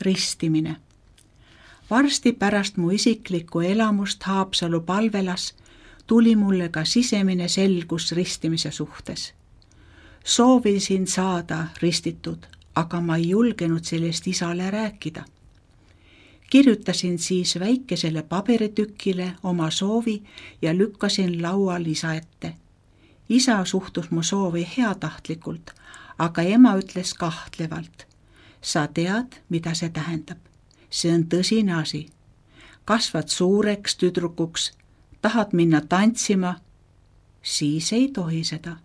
Ristimine. Varsti pärast mu isiklikku elamust Haapsalu palvelas tuli mulle ka sisemine selgus ristimise suhtes. Soovisin saada ristitud, aga ma ei julgenud sellest isale rääkida. Kirjutasin siis väikesele paberitükile oma soovi ja lükkasin laual isa ette. Isa suhtus mu soovi heatahtlikult, aga ema ütles kahtlevalt. Sa tead, mida see tähendab. See on tõsine asi. Kasvad suureks tüdrukuks, tahad minna tantsima, siis ei tohi seda.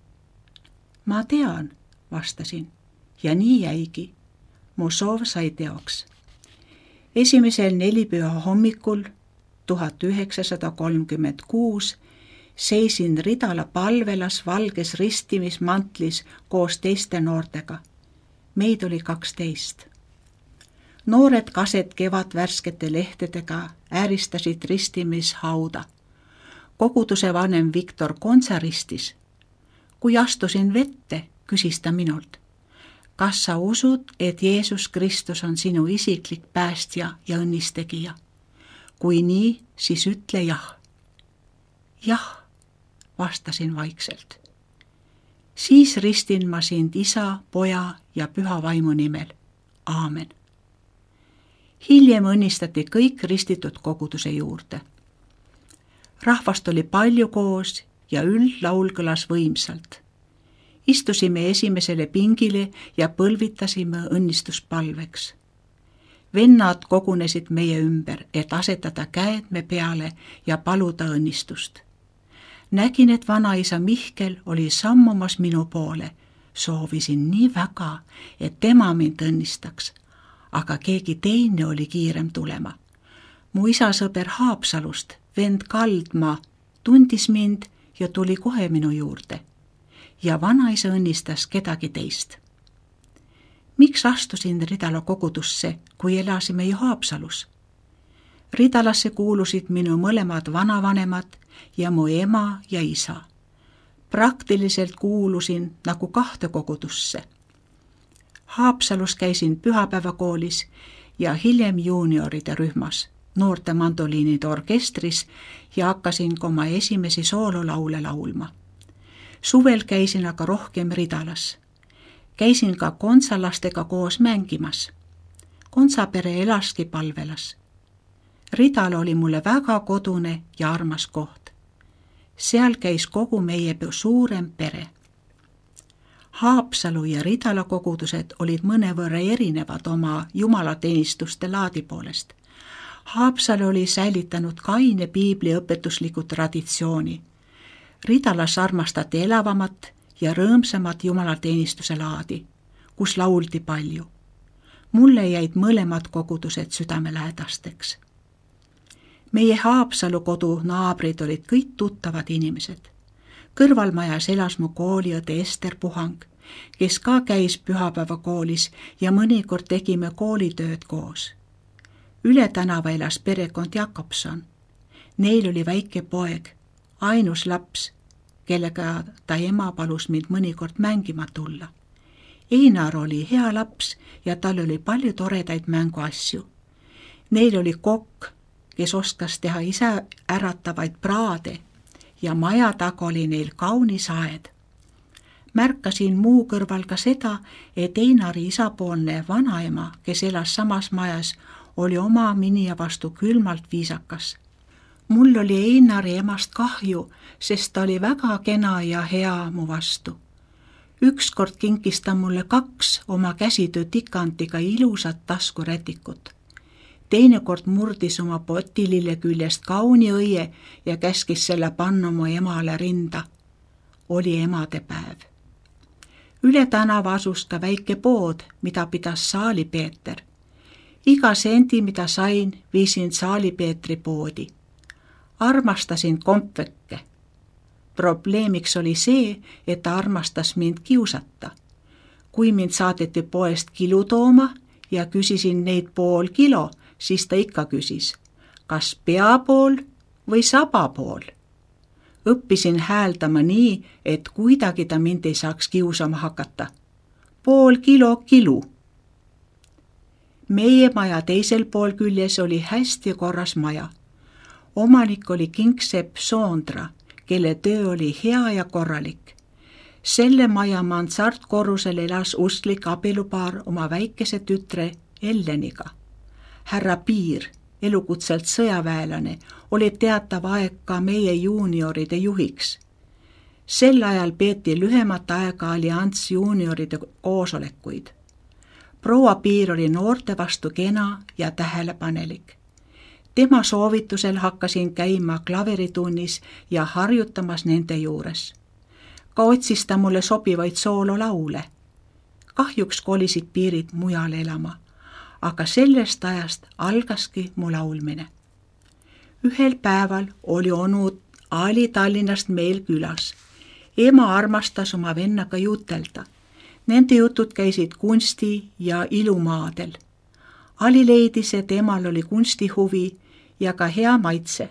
Ma tean, vastasin, ja nii jäigi. Mu soov sai teoks. Esimesel nelipüha hommikul 1936 seisin Ridala palvelas valges ristimismantlis koos teiste noortega. Meid oli 12. Noored kased kevadvärskete lehtedega ääristasid ristimishauda. Koguduse vanem Viktor Kontsa ristis. Kui astusin vette, küsis ta minult. Kas sa usud, et Jeesus Kristus on sinu isiklik päästja ja õnnistegija? Kui nii, siis ütle jah. Jah, vastasin vaikselt. Siis ristin ma sind isa, poja ja püha vaimu nimel. Aamen. Hiljem õnnistati kõik ristitud koguduse juurde. Rahvast oli palju koos ja üldlaul kõlas võimsalt. Istusime esimesele pingile ja põlvitasime õnnistuspalveks. Vennad kogunesid meie ümber, et asetada käed me peale ja paluda õnnistust. Nägin, et vanaisa Mihkel oli sammumas minu poole. Soovisin nii väga, et tema mind õnnistaks, aga keegi teine oli kiirem tulema. Mu isa sõber Haapsalust, vend Kaldmaa, tundis mind ja tuli kohe minu juurde. Ja vanaisa õnnistas kedagi teist. Miks astusin Ridala kogudusse, kui elasime ju Haapsalus? Ridalasse kuulusid minu mõlemad vanavanemad ja mu ema ja isa. Praktiliselt kuulusin nagu kahte kogudusse. Haapsalus käisin pühapäevakoolis ja hiljem juunioride rühmas, noorte mandoliinide orkestris ja hakkasin ka oma esimesi soololaule laulma. Suvel käisin aga rohkem Ridalas. Käisin ka kontsalastega koos mängimas. Kontsapere elaski palvelas. Ridal oli mulle väga kodune ja armas koht. Seal käis kogu meie suurem pere. Haapsalu ja Ridala kogudused olid mõnevõrra erinevad oma jumalateenistuste laadi poolest. Haapsalu oli säilitanud kaine piibliõpetusliku traditsiooni. Ridalas armastati elavamat ja rõõmsamat jumalateenistuse laadi, kus lauldi palju. Mulle jäid mõlemad kogudused südamelähedasteks. Meie Haapsalu kodu naabrid olid kõik tuttavad inimesed. Kõrvalmajas elas mu kooliõde Ester Puhang, kes ka käis pühapäevakoolis ja mõnikord tegime koolitööd koos. Üle tänava elas perekond Jakobson. Neil oli väike poeg, ainus laps, kellega ta ema palus mind mõnikord mängima tulla. Einar oli hea laps ja tal oli palju toredaid mänguasju. Neil oli kokk, kes oskas teha ise äratavaid praade ja maja taga oli neil kaunis aed. Märkasin muu kõrval ka seda, et Einari isapoolne vanaema, kes elas samas majas, oli oma minija vastu külmalt viisakas. Mul oli Einari emast kahju, sest ta oli väga kena ja hea mu vastu. Ükskord kinkis ta mulle 2 oma käsitöö tikantiga ilusat taskurätikut. Teinekord murdis oma potilille küljest kauni õie ja käskis selle panna mu emale rinda. Oli emadepäev. Üle tänava asus ka väike pood, mida pidas Saali-Peeter. Iga sendi, mida sain, viisin Saali-Peetri poodi. Armastasin kompvekke. Probleemiks oli see, et ta armastas mind kiusata. Kui mind saadeti poest kilu tooma ja küsisin neid pool kilo, siis ta ikka küsis, kas peapool või sabapool. Õppisin hääldama nii, et kuidagi ta mind ei saaks kiusama hakata. Pool kilo kilu. Meie maja teisel pool küljes oli hästi korras maja. Omanik oli kingsepp Soondra, kelle töö oli hea ja korralik. Selle maja mansardkorrusel elas usklik abielupaar oma väikese tütre Elleniga. Härra Piir, elukutselt sõjaväelane, oli teatav aeg ka meie juunioride juhiks. Sel ajal peeti lühemat aega allianss juunioride koosolekuid. Proua Piir oli noorte vastu kena ja tähelepanelik. Tema soovitusel hakkasin käima klaveritunnis ja harjutamas nende juures. Ka otsis ta mulle sobivaid soololaule. Kahjuks kolisid Piirid mujal elama, aga sellest ajast algaski mu laulmine. Ühel päeval oli onu Ali Tallinnast meil külas. Ema armastas oma vennaga jutelda. Nende jutud käisid kunsti ja ilumaadel. Ali leidis, et emal oli kunstihuvi ja ka hea maitse.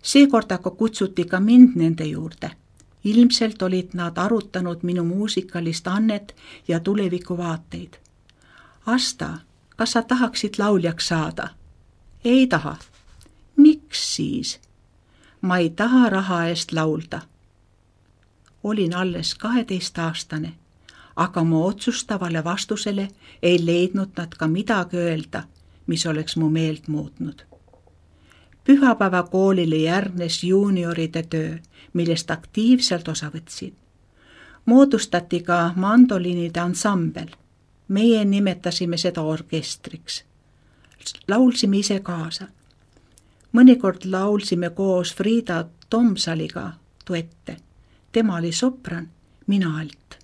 Seekord aga kutsuti ka mind nende juurde. Ilmselt olid nad arutanud minu muusikalist annet ja tulevikuvaateid. Asta, kas sa tahaksid lauljaks saada? Ei taha. Miks siis? Ma ei taha raha eest laulda. Olin alles 12-aastane, aga mu otsustavale vastusele ei leidnud nad ka midagi öelda, mis oleks mu meelt muutnud. Pühapäeva koolile järgnes juunioride töö, millest aktiivselt osa võtsid. Moodustati ka mandoliinide ansambel. Meie nimetasime seda orkestriks. Laulsime ise kaasa. Mõnikord laulsime koos Friida Tomsaliga duette. Tema oli sopran, mina alt.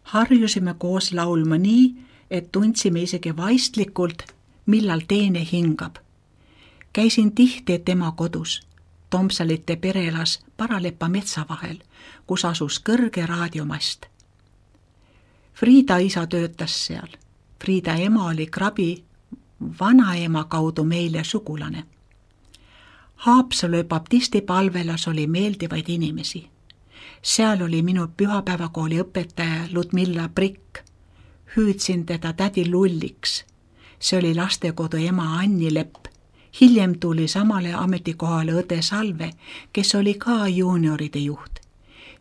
Harjusime koos laulma nii, et tundsime isegi vaistlikult, millal teine hingab. Käisin tihti tema kodus. Tomsalite pere elas Paralepa metsa vahel, kus asus kõrge raadiomast. Friida isa töötas seal. Friida ema oli Krabi vanaema kaudu meile sugulane. Haapsalu baptisti palvelas oli meeldivaid inimesi. Seal oli minu pühapäevakooli õpetaja Ludmilla Prikk. Hüüdsin teda tädi Lulliks. See oli lastekodu ema Anni Lepp. Hiljem tuli samale ametikohale õde Salve, kes oli ka juunioride juht.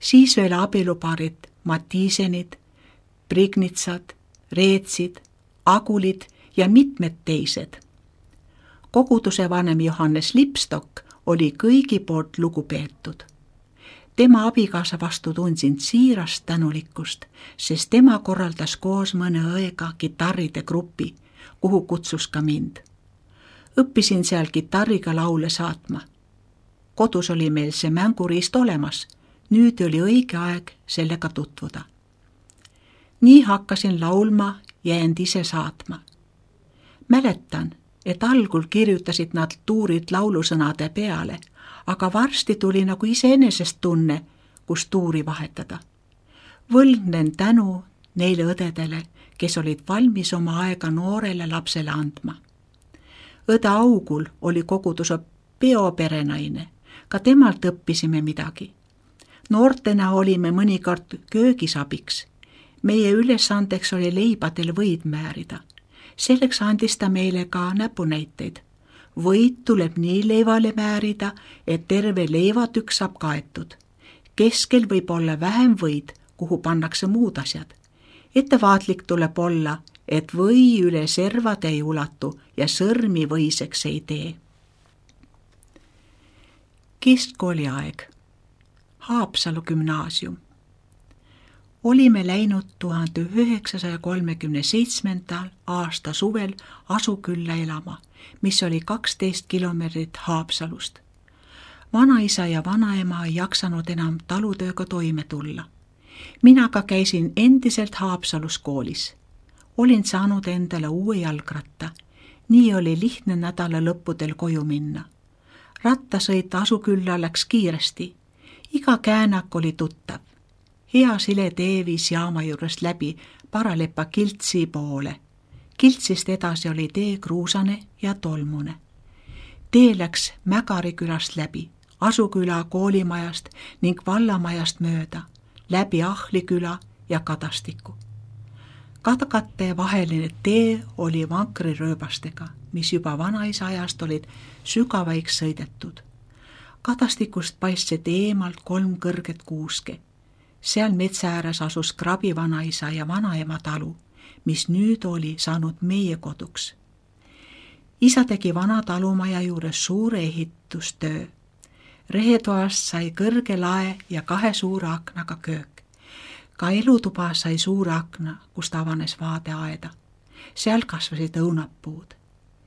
Siis veel abielupaarid Matiisenid, Prignitsad, Reetsid, Agulid ja mitmed teised. Koguduse vanem Johannes Lipstok oli kõigi poolt lugupeetud. Tema abikaasa vastu tundsin siirast tänulikkust, sest tema korraldas koos mõne õega kitarride grupi, kuhu kutsus ka mind. Õppisin seal kitarriga laule saatma. Kodus oli meil see mänguriist olemas, nüüd oli õige aeg sellega tutvuda. Nii hakkasin laulma ja end ise saatma. Mäletan, et algul kirjutasid nad tuurid laulusõnade peale, aga varsti tuli nagu iseenesest tunne, kus tuuri vahetada. Võlgnen tänu neile õdedele, kes olid valmis oma aega noorele lapsele andma. Õde Augul oli koguduse peoperenaine, ka temalt õppisime midagi. Noortena olime mõnikord köögisabiks. Meie ülesandeks oli leibadel võid määrida. Selleks andis ta meile ka näpunäiteid. Võid tuleb nii leivale määrida, et terve leivatükk saab kaetud. Keskel võib olla vähem võid, kuhu pannakse muud asjad. Ettevaatlik tuleb olla, et või üle servade ei ulatu ja sõrmi võiseks ei tee. Keskkooli aeg. Haapsalu gümnaasium. Olime läinud 1937. aasta suvel Asukülla elama, mis oli 12 kilomeetrit Haapsalust. Vanaisa ja vanaema ei jaksanud enam talutööga toime tulla. Mina ka käisin endiselt Haapsalus koolis. Olin saanud endale uue jalgratta. Nii oli lihtne nädala lõppudel koju minna. Rattasõit Asukülla läks kiiresti. Iga käänak oli tuttav. Hea sile tee viis jaama juurest läbi Paralepa Kiltsi poole. Kiltsist edasi oli tee kruusane ja tolmune. Tee läks Mägari külast läbi, Asuküla koolimajast ning vallamajast mööda, läbi Ahliküla ja Kadastiku. Katkatte vaheline tee oli vankrirööbastega, mis juba vanaisa ajast olid sügavaiks sõidetud. Kadastikust paistsid eemalt 3 kõrget kuuske. Seal metsa ääres asus Krabi vanaisa ja vanaema talu, mis nüüd oli saanud meie koduks. Isa tegi vana talumaja juures suure ehitustöö. Rehetoast sai kõrge lae ja 2 suure aknaga köök. Ka elutuba sai suure akna, kust avanes vaade aeda. Seal kasvasid õunapuud.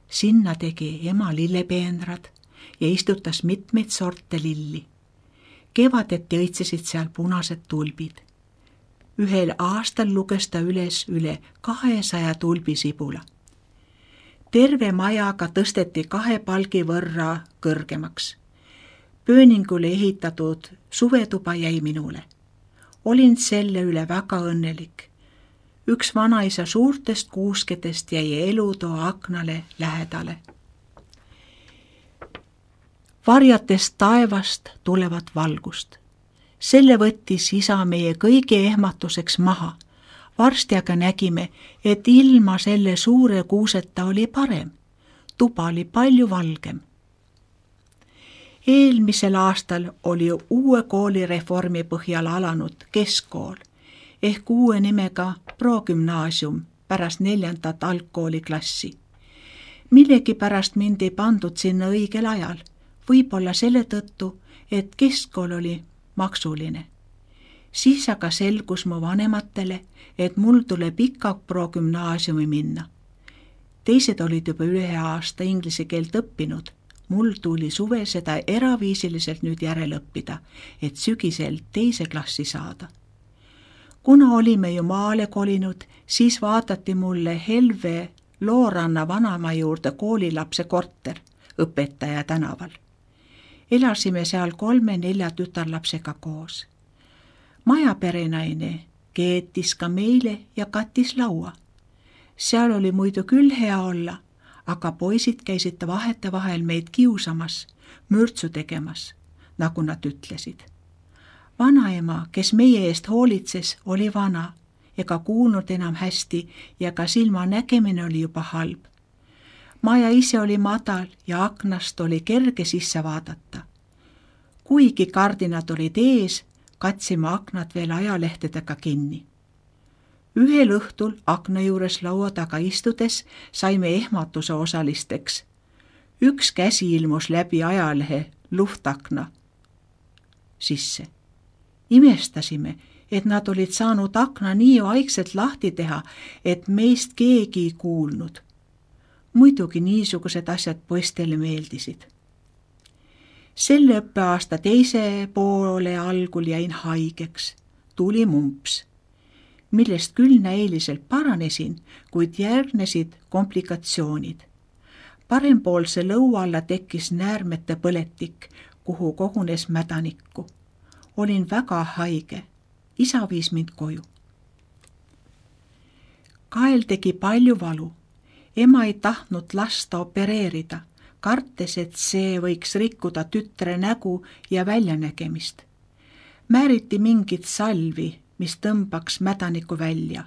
Sinna tegi ema lillepeenrad ja istutas mitmeid sorte lilli. Kevadeti õitsesid seal punased tulbid. Ühel aastal luges ta üle 200 tulbisibula. Terve majaga tõsteti 2 palgi võrra kõrgemaks. Pööningule ehitatud suvetuba jäi minule. Olin selle üle väga õnnelik. Üks vanaisa suurtest kuuskedest jäi elutoa aknale lähedale. Varjatest taevast tulevat valgust. Selle võttis isa meie kõigi ehmatuseks maha. Varsti aga nägime, et ilma selle suure kuuseta oli parem. Tuba oli palju valgem. Eelmisel aastal oli uue koolireformi põhjal alanud keskkool ehk uue nimega progümnaasium pärast 4. algkooliklassi. Millegi pärast mind ei pandud sinna õigel ajal, võib-olla selle tõttu, et keskkool oli maksuline. Siis aga selgus mu vanematele, et mul tuleb ikka progümnaasiumi minna. Teised olid juba 1 aasta inglise keelt õppinud. Mul tuli suve seda eraviisiliselt nüüd järele õppida, et sügisel 2. klassi saada. Kuna olime ju maale kolinud, siis vaadati mulle Helve Looranna vanaema juurde koolilapse korter õpetaja tänaval. Elasime seal 3-4 tütarlapsega koos. Majaperenaine keetis ka meile ja kattis laua. Seal oli muidu küll hea olla, aga poisid käisid vahetevahel meid kiusamas, mürtsu tegemas, nagu nad ütlesid. Vanaema, kes meie eest hoolitses, oli vana ega kuulnud enam hästi ja ka silma nägemine oli juba halb. Maja ise oli madal ja aknast oli kerge sisse vaadata. Kuigi kardinad olid ees, katsime aknad veel ajalehtedega kinni. Ühel õhtul akna juures laua taga istudes saime ehmatuse osalisteks. Üks käsi ilmus läbi ajalehe luftakna sisse. Imestasime, et nad olid saanud akna nii vaikselt lahti teha, et meist keegi ei kuulnud. Muidugi niisugused asjad poistele meeldisid. Selle õppeaasta 2. poole algul jäin haigeks. Tuli mumps, millest küll näiliselt paranesin, kuid järgnesid komplikatsioonid. Parempoolse lõua alla tekkis näärmete põletik, kuhu kogunes mädanikku. Olin väga haige. Isa viis mind koju. Kael tegi palju valu. Ema ei tahtnud lasta opereerida, kartes, et see võiks rikkuda tütre nägu ja väljanägemist. Määriti mingit salvi, mis tõmbaks mädaniku välja.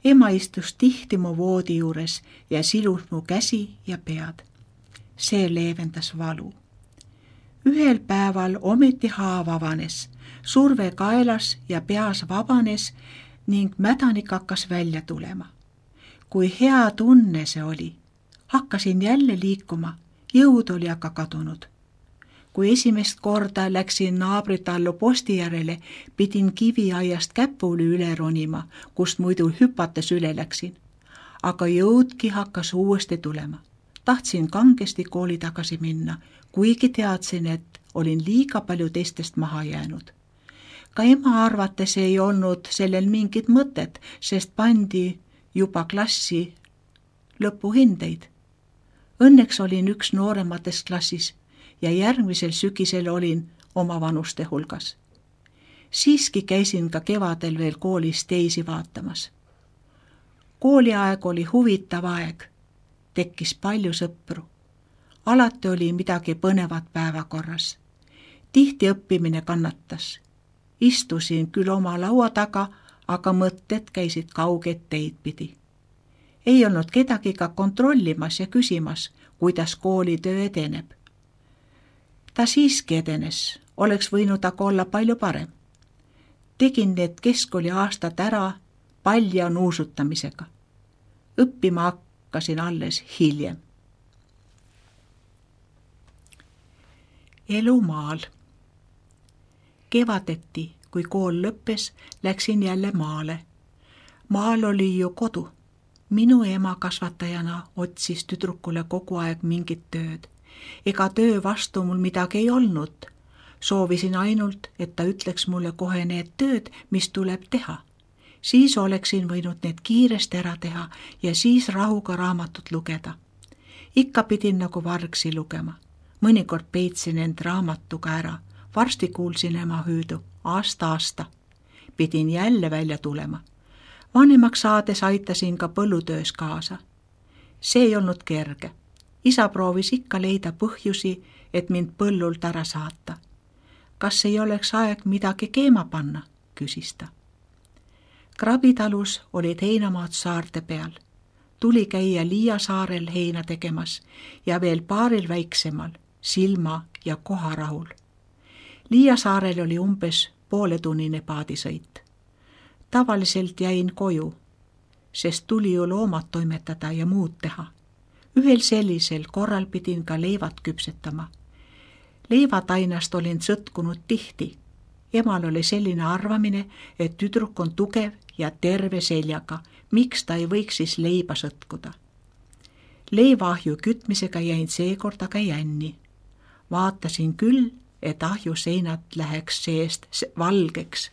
Ema istus tihti mu voodi juures ja silus mu käsi ja pead. See leevendas valu. Ühel päeval ometi haav avanes, surve kaelas ja peas vabanes ning mädanik hakkas välja tulema. Kui hea tunne see oli, hakkasin jälle liikuma, jõud oli aga kadunud. Kui esimest korda läksin naabritallu posti järele, pidin kiviaiast käpuli üle ronima, kust muidu hüpates üle läksin. Aga jõudki hakkas uuesti tulema. Tahtsin kangesti kooli tagasi minna, kuigi teadsin, et olin liiga palju teistest maha jäänud. Ka ema arvates ei olnud sellel mingit mõtet, sest pandi juba klassi lõpuhindeid. Õnneks olin üks noorematest klassis ja järgmisel sügisel olin oma vanuste hulgas. Siiski käisin ka kevadel veel koolis teisi vaatamas. Kooliaeg oli huvitav aeg. Tekkis palju sõpru. Alati oli midagi põnevat päevakorras. Tihti õppimine kannatas. Istusin küll oma laua taga, aga mõtted käisid kaugeid teid pidi. Ei olnud kedagi ka kontrollimas ja küsimas, kuidas koolitöö edeneb. Ta siiski edenes, oleks võinud aga olla palju parem. Tegin need keskkooli aastad ära palja nuusutamisega. Õppima hakkasin alles hiljem. Elu maal. Kevadeti, kui kool lõppes, läksin jälle maale. Maal oli ju kodu. Minu ema kasvatajana otsis tüdrukule kogu aeg mingit tööd. Ega töö vastu mul midagi ei olnud. Soovisin ainult, et ta ütleks mulle kohe need tööd, mis tuleb teha. Siis oleksin võinud need kiiresti ära teha ja siis rahuga raamatut lugeda. Ikka pidin nagu vargsi lugema. Mõnikord peitsin end raamatuga ära. Varsti kuulsin ema hüüdu. Aasta. Pidin jälle välja tulema. Vanemaks saades aitasin ka põllutöös kaasa. See ei olnud kerge. Isa proovis ikka leida põhjusi, et mind põllult ära saata. Kas ei oleks aeg midagi keema panna, küsis ta. Krabitalus olid heinamaad saarte peal. Tuli käia Liia saarel heina tegemas ja veel paaril väiksemal, Silma ja Koharahul. Liia saarel oli umbes pooletunnine paadisõit. Tavaliselt jäin koju, sest tuli ju loomad toimetada ja muud teha. Ühel sellisel korral pidin ka leivad küpsetama. Leivatainast olin sõtkunud tihti. Emal oli selline arvamine, et tüdruk on tugev ja terve seljaga, miks ta ei võiks siis leiba sõtkuda. Leivaahju kütmisega jäin seekord aga jänni. Vaatasin küll, et ahju seinad läheks seest valgeks,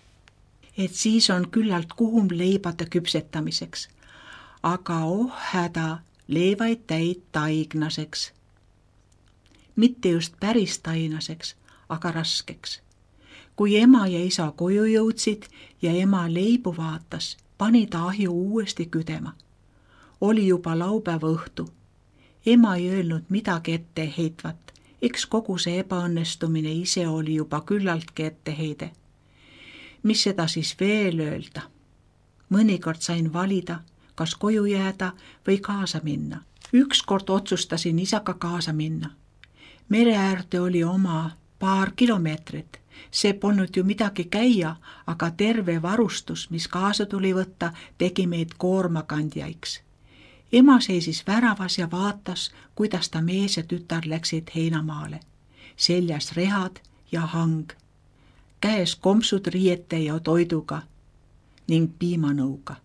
et siis on küllalt kuhum leibade küpsetamiseks. Aga häda, leivaid täid taignaseks. Mitte just päris tainaseks, aga raskeks. Kui ema ja isa koju jõudsid ja ema leibu vaatas, pani ta ahju uuesti küdema. Oli juba laupäeva õhtu. Ema ei öelnud midagi etteheitvat. Eks kogu see ebaõnnestumine ise oli juba küllaltki etteheide. Mis seda siis veel öelda? Mõnikord sain valida, kas koju jääda või kaasa minna. Ükskord otsustasin isaga kaasa minna. Mere äärde oli oma paar kilomeetrit. See polnud ju midagi käia, aga terve varustus, mis kaasa tuli võtta, tegi meid koormakandjaiks. Ema seisis väravas ja vaatas, kuidas ta mees ja tütar läksid heinamaale. Seljas rehad ja hang. Käes kompsud riiete ja toiduga ning piimanõuga.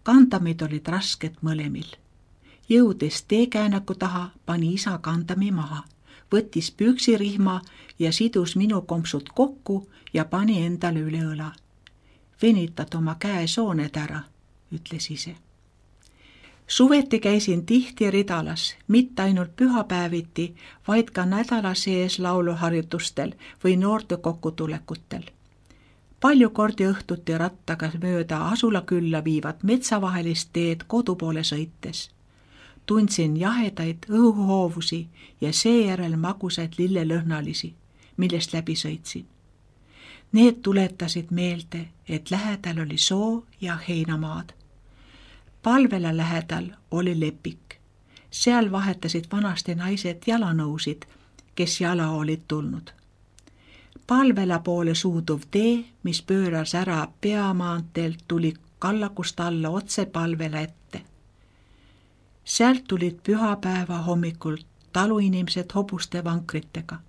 Kandamid olid rasked mõlemil. Jõudes teekäänaku taha, pani isa kandami maha, võttis püksirihma ja sidus minu kompsud kokku ja pani endale üle õla. Venitad oma käesooned ära, ütles ise. Suveti käisin tihti Ridalas, mitte ainult pühapäeviti, vaid ka nädala sees lauluharjutustel või noorte kokkutulekutel. Palju kordi õhtuti rattaga mööda asulakülla viivad metsavahelist teed kodu poole sõites. Tundsin jahedaid õhuhoovusi ja seejärel magusaid lillelõhnalisi, millest läbi sõitsin. Need tuletasid meelde, et lähedal oli soo ja heinamaad. Palvela lähedal oli lepik. Seal vahetasid vanasti naised jalanõusid, kes jala olid tulnud. Palvela poole suuduv tee, mis pööras ära peamaanteelt, tuli kallakust alla otse Palvela ette. Sealt tulid pühapäeva hommikul taluinimesed hobuste vankritega.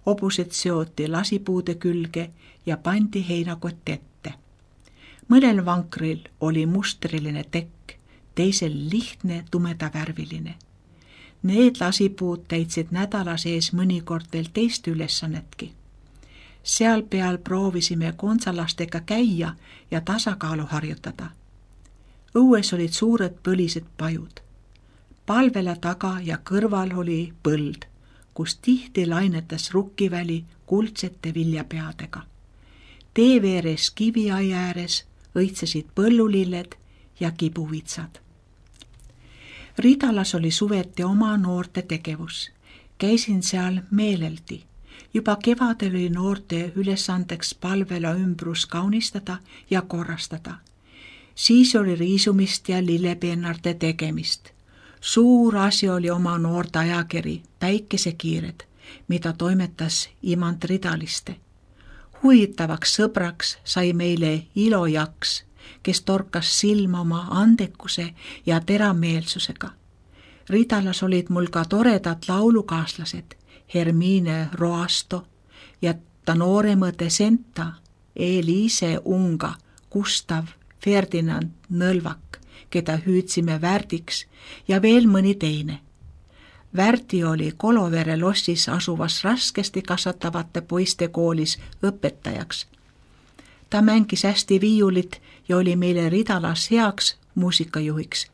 Hobused seoti lasipuude külge ja pandi heinakott ette. Mõnel vankril oli mustriline tekk, teisel lihtne tumedavärviline. Need lasipuud täitsid nädala sees mõnikord veel teist ülesannetki. Seal peal proovisime konsalastega käia ja tasakaalu harjutada. Õues olid suured põlised pajud. Palvela taga ja kõrval oli põld, kus tihti lainetas rukkiväli kuldsete viljapeadega. Tee veeres kiviai ääres õitsesid põllulilled ja kibuvitsad. Ridalas oli suveti oma noorte tegevus. Käisin seal meeleldi. Juba kevadel oli noorte ülesandeks palvela ümbrus kaunistada ja korrastada. Siis oli riisumist ja lillepeenarde tegemist. Suur asi oli oma noorte ajakiri Päikesekiired, mida toimetas Imant Ridaliste. Huvitavaks sõbraks sai meile Ilo Jaks, kes torkas silma oma andekuse ja terameelsusega. Ridalas olid mul ka toredad laulukaaslased, Hermine Roasto ja ta nooremõde Senta, Eliise Unga, Gustav Ferdinand Nõlvak, keda hüüdsime Värdiks, ja veel mõni teine. Värdi oli Kolovere lossis asuvas raskesti kasvatavate poiste koolis õpetajaks. Ta mängis hästi viiulit ja oli meile Ridalas heaks muusikajuhiks,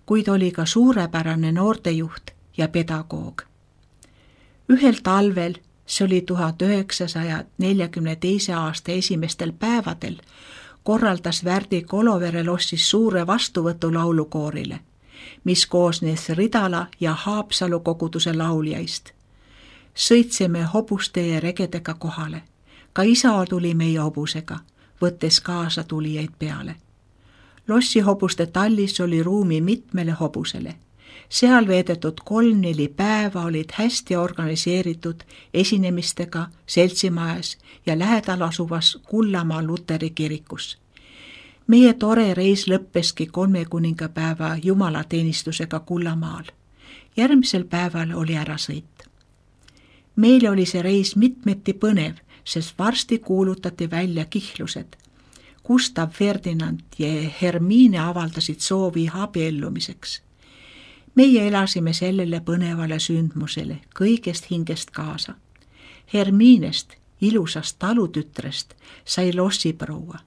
kuid oli ka suurepärane noortejuht ja pedagoog. Ühel talvel, see oli 1942. aasta esimestel päevadel, korraldas Värdi Kolovere lossis suure vastuvõtu laulukoorile, mis koosnes Ridala ja Haapsalu koguduse lauljaist. Sõitsime hobuste ja regedega kohale. Ka isa tuli meie hobusega, võttes kaasa tulijaid peale. Lossi hobuste tallis oli ruumi mitmele hobusele. Seal veedetud 3-4 päeva olid hästi organiseeritud esinemistega seltsimajas ja lähedal asuvas Kullamaa Luteri kirikus. Meie tore reis lõppeski 3 kuningapäeva jumalateenistusega Kullamaal. Järgmisel päeval oli ärasõit. Meile oli see reis mitmeti põnev, sest varsti kuulutati välja kihlused. Gustav Ferdinand ja Hermine avaldasid soovi abiellumiseks. Meie elasime sellele põnevale sündmusele kõigest hingest kaasa. Herminest, ilusast talutütrest, sai lossiproua.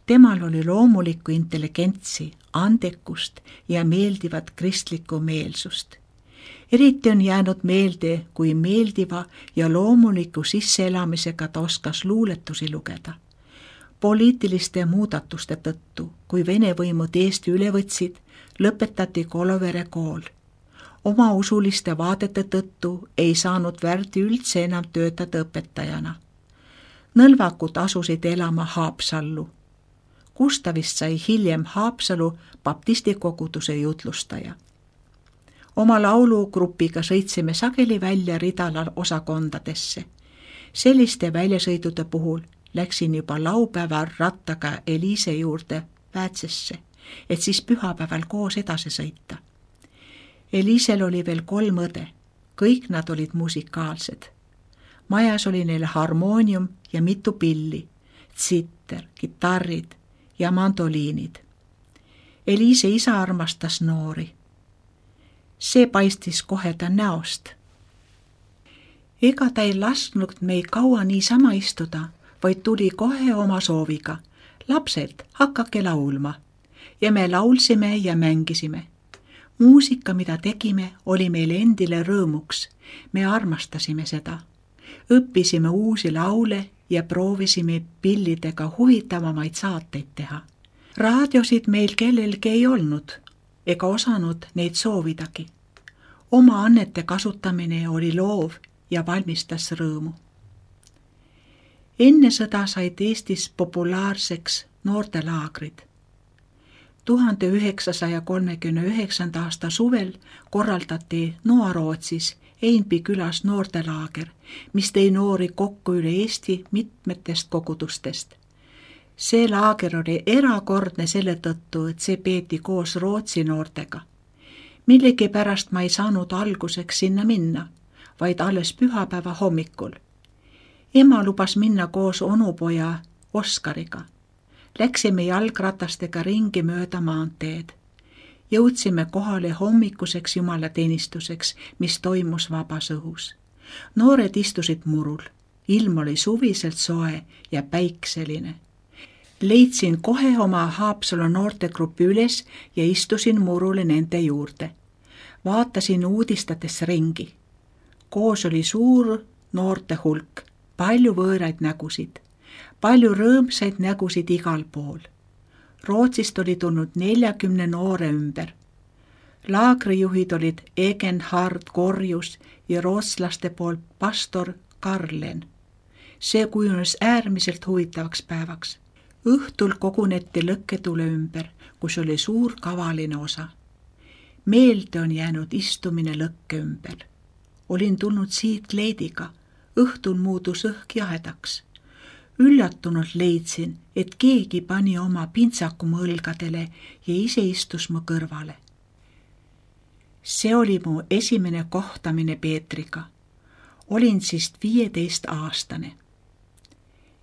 Temal oli loomulikku intelligentsi, andekust ja meeldivat kristlikku meelsust. Eriti on jäänud meelde, kui meeldiva ja loomuliku sisseelamisega ta oskas luuletusi lugeda. Poliitiliste muudatuste tõttu, kui Vene võimud Eesti üle võtsid, lõpetati Kolovere kool. Oma usuliste vaadete tõttu ei saanud Värdi üldse enam töötada õpetajana. Nõlvakud asusid elama Haapsallu. Gustavist sai hiljem Haapsalu baptistikoguduse jutlustaja. Oma laulugrupiga sõitsime sageli välja Ridala osakondadesse. Selliste väljasõidude puhul läksin juba laupäeval rattaga Eliise juurde Päätsesse, et siis pühapäeval koos edasi sõita. Eliisel oli veel 3 õde, kõik nad olid musikaalsed. Majas oli neil harmoonium ja mitu pilli, tsitter, kitarrid ja mandoliinid. Eliise isa armastas noori. See paistis kohe ta näost. Ega ta ei lasknud meid kaua niisama istuda, vaid tuli kohe oma sooviga. Lapsed, hakake laulma. Ja me laulsime ja mängisime. Muusika, mida tegime, oli meile endile rõõmuks. Me armastasime seda. Õppisime uusi laule ja proovisime pillidega huvitavamaid saateid teha. Raadiosid meil kellelgi ei olnud, ega osanud neid soovidagi. Oma annete kasutamine oli loov ja valmistas rõõmu. Enne sõda said Eestis populaarseks noortelaagrid. 1939. aasta suvel korraldati Noa-Rootsis Einby külas noortelaager, mis tõi noori kokku üle Eesti mitmetest kogudustest. See laager oli erakordne selle tõttu, et see peeti koos Rootsi noortega. Millegipärast ma ei saanud alguseks sinna minna, vaid alles pühapäeva hommikul. Ema lubas minna koos onupoja Oskariga. Läksime jalgratastega ringi mööda maanteed. Jõudsime kohale hommikuseks jumalateenistuseks, mis toimus vabas õhus. Noored istusid murul. Ilm oli suviselt soe ja päikseline. Leidsin kohe oma Haapsalu noortegrupi üles ja istusin murule nende juurde. Vaatasin uudistades ringi. Koos oli suur noorte hulk, palju võõraid nägusid, palju rõõmsaid nägusid igal pool. Rootsist oli tulnud 40 noore ümber. Laagrijuhid olid Egenhard Korjus ja rootslaste poolt pastor Karlen. See kujunes äärmiselt huvitavaks päevaks. Õhtul koguneti lõkketule ümber, kus oli suur kavaline osa. Meelde on jäänud istumine lõkke ümber. Olin tulnud siit kleidiga. Õhtul muudus õhk jahedaks. Üllatunult leidsin, et keegi pani oma pintsaku mu õlgadele ja ise istus mu kõrvale. See oli mu esimene kohtamine Peetriga. Olin siis 15-aastane.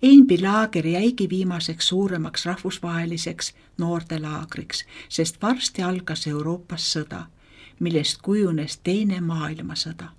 Einbi laager jäigi viimaseks suuremaks rahvusvaheliseks noortelaagriks, sest varsti algas Euroopas sõda, millest kujunes teine maailmasõda.